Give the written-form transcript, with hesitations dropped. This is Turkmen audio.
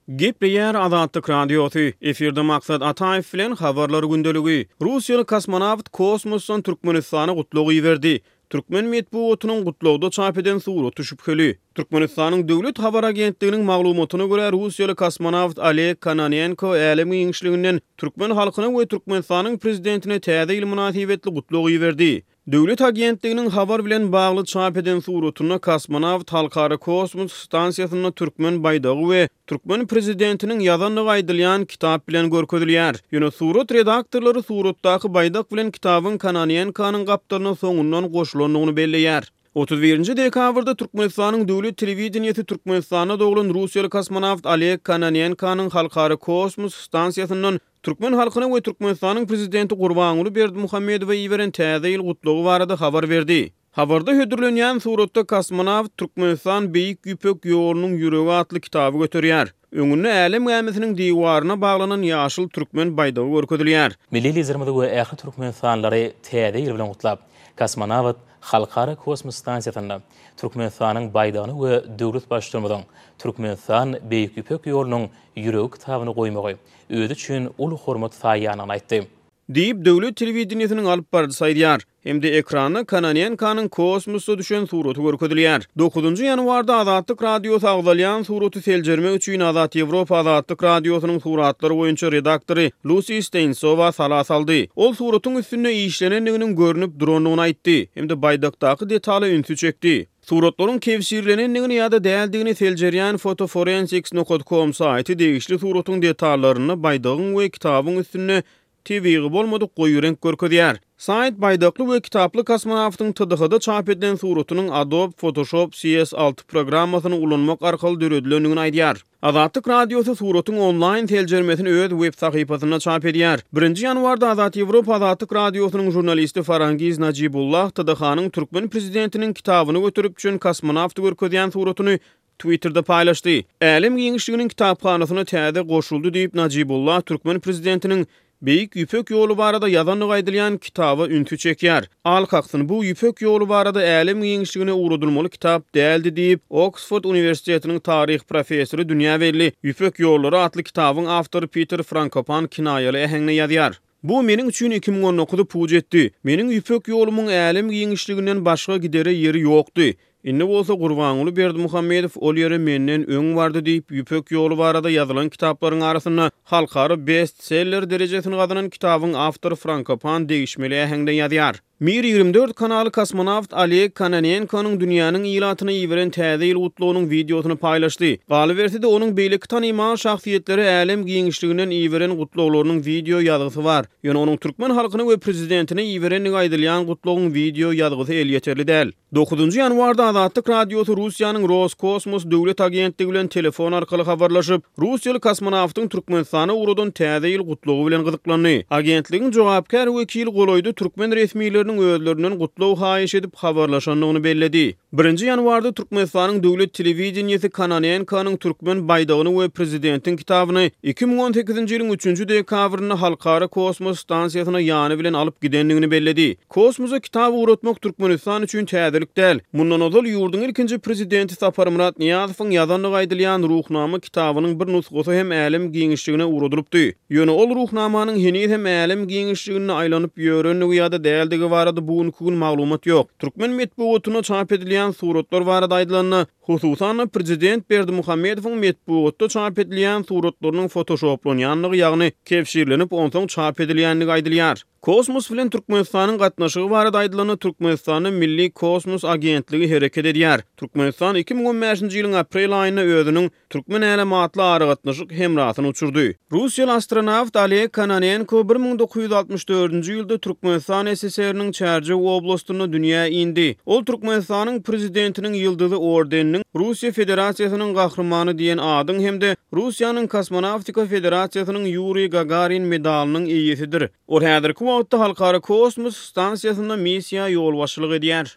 Gepleýär Azatlyk Radiosy, efirde Maksat Ataýew bilen Habarlar gündeligi. Russiýaly kosmonawt kosmosdan Türkmenistana gutlag iberdi. Türkmen metbugatynyň gutlagda çap eden suraty şübheli. Türkmenistanyň Döwlet habar agentliginiň maglumatyna görä, russiýaly kosmonawt Oleg Kononenko älem giňişliginden türkmen halkyna we Türkmenistanyň prezidentine Täze ýyl mynasybetli gutlag iberdi. Döwlet agentliginiň habar bilen bagly çap eden suratynda kosmonawt Halkara kosmos stansiýasynda türkmen baýdagy we türkmen prezidentiniň ýazandygy aýdylýan kitap bilen görkezilýär. Ýöne surat redaktorlary suratdaky baýdak bilen kitabyň Kononenkonyň gapdalyna soňundan goşulandygyny belleýär. 31 dekabrda Türkmenistanyň döwlet telewideniýesi Türkmenistanda doglan russiýaly kosmonawt Oleg Kononenkonyň Halkara kosmos stansiýasyndan Türkmen halkyna we Türkmenistanyň Prezidenti Gurbanguly Berdimuhamedowa iberen Täze ýyl gutlagy barada habar berdi. Habarda hödürlenýän suratda kosmonawt Türkmenistan Beýik Ýüpek ýolunyň ýüregi atly kitaby göterýär. Öňünde älem gämisiniň diwaryna baglanan ýaşyl türkmen baýdagy görkezilýär. Milli Liderimizi we ähli türkmenistanlylary Täze ýyl bilen gutlap, kosmonawt Halkara kosmos stansiýasynda Türkmenistanyň baýdagyny we döwlet Baştutanymyzyň Türkmenistan Beýik Ýüpek ýolunyň ýüregi kitabyny goýmagy özi üçin uly hormat saýýandygyny aýtdy. Diýip, döwlet telewideniýesiniň alyp baryjysy aýdýar. Hem-de ekranda Kononenkonyň kosmosda düşen suraty görkezilýär. Dokuzynjy ýanwarda Azatlyk Radiosy agzalýan suraty seljermek üçin Azat Ýewropa Azatlyk Radiosynyň suratlar boýunça redaktory Lusi Steýnsowa sala saldy. Ol suratyň üstünde işlenendiginiň görnüp durandygyny aýtdy hem-de baýdakdaky detala ünsi çekdi. Suratlaryň kebşirlenendigini ýa-da däldigini seljerýän Fotoforensics nokat com saýty degişli suratyň detallarynda baýdagyň we kitabyň üstünde tebigy bolmadyk goýy reňk görkezýär. Saýt baýdakly we kitaply kosmonawtyň TDH-da çap edilen suratynyň Adobe Photoshop CS 6 programmasyny ulanmak arkaly döredilendigini aýdýar. Azatlyk Radiosy suratyň onlaýn seljermesini öz web sahypasynda çap edýär. Birinji ýanwarda Azat Ýewropa Azatlyk Radiosynyň žurnalisti Farangiz Najibullah TDH-nyň türkmen prezidentiniň kitabyny göterip düşen kosmonawty görkezýän suratyny Twitterde paýlaşdy. Älem giňişliginiň kitaphanasyna täze goşuldy diýip, Najibullah türkmen prezidentiniň Beýik Ýüpek ýoly barada ýazandygy aýdylýan kitaba ünsi çekýär. Al kaksyn, bu Ýüpek ýoly barada älem giňişligine ugradylmaly kitap däldi diýip, Oksford uniwersitetiniň taryh professory dünýä belli Ýüpek ýollary atly kitabyň awtory Piter Frankopan kinaýaly äheňde ýazýar. Bu meniň üçin 2019-y puç etdi. Meniň Ýüpek ýolumyň älem giňişliginden başga gidere ýeri ýokdy. Indi bolsa Gurbanguly Berdimuhamedow ol ýere menden öň bardy diýip, Ýüpek ýoly barada ýazylan kitaplaryň arasynda halkara bestseller derejesini gazanan kitabyň awtory Frankopan degişmeli äheňde ýazýar. Mir 24 kanaly kosmonawt Oleg Kononenkonyň dünýäniň ilatyna iberen Täze ýyl gutlagynyň wideosyny paýlaşdy. Galyberse-de, onuň beýleki tanymal şahsyýetlere älem giňişliginden iberen gutlaglarynyň wideo ýazgysy bar. Ýöne onuň türkmen halkyna we prezidentine iberendigi aýdylýan gutlagyň wideo ýazgysy elýeterli däl. Dokuzynjy ýanwarda Azatlyk Radiosy Russiýanyň Roskosmos döwlet agentligi bilen telefon arkaly habarlaşyp, russiýaly kosmonawtyň Türkmenistana ugradan Täze ýyl gutlagy bilen gyzyklandy. Agentligiň jogapkär wekili golaýda türkmen resmileriniň özlerinden gutlag haýyş edip habarlaşandygyny belledi. Birinji ýanwarda Türkmenistanyň döwlet telewideniýesi Kononenkonyň türkmen baýdagyny we prezidentiň kitabyny 2018-nji ýylyň üçünji dekabrynda Halkara kosmos stansiýasyna ýany bilen alyp gidendigini belledi. Kosmosa kitap ugratmak Türkmenistan üçin täzelik däl. Mundan ozal ýurduň ilkinji prezidenti Saparmyrat Nyýazowyň ýazandygy aýdylýan Ruhnama kitabynyň bir nusgasy hem älem giňişligine ugradylypdy. Ýöne ol Ruhnamanyň heniz hem älem giňişliginde aýlanyp ýörendigi ýa-da däldigi barada bu günki gün maglumat ýok. Türkmen metbugatynda çap edilýän suratlar barada aýdylanda, hususan-da prezident Berdimuhamedowyň metbugatda çap edilýän suratlarynyň fotoşoplanýandygy, ýagny kebşirlenip onsoň çap edilýändigi aýdylýar. Kosmos bilen Türkmenistanyň gatnaşygy barada aýdylanda, Türkmenistanda Milli kosmos agentligi hereket edýär. Türkmenistan 2015-nji ýylyň aprel aýynda özüniň Türkmen älemi atly aragatnaşyk hemrasyny uçurdy. Russiýaly astronawt Oleg Kononenko 1964-nji ýylda Türkmenistan SSR-niň Çärjew oblastynda dünýä indi. Ol Türkmenistanyň Prezidentiniň Ýyldyzy ordeniniň, Russiýa Federasiýasynyň Gahrymany diýen adyň hem-de Russiýanyň Kosmonawtika federasiýasynyň Ýuriý Gagarin medalynyň eýesidir. Ol häzirki wagtda Halkara kosmos stansiýasynda missiýa ýolbaşçylyk edýär.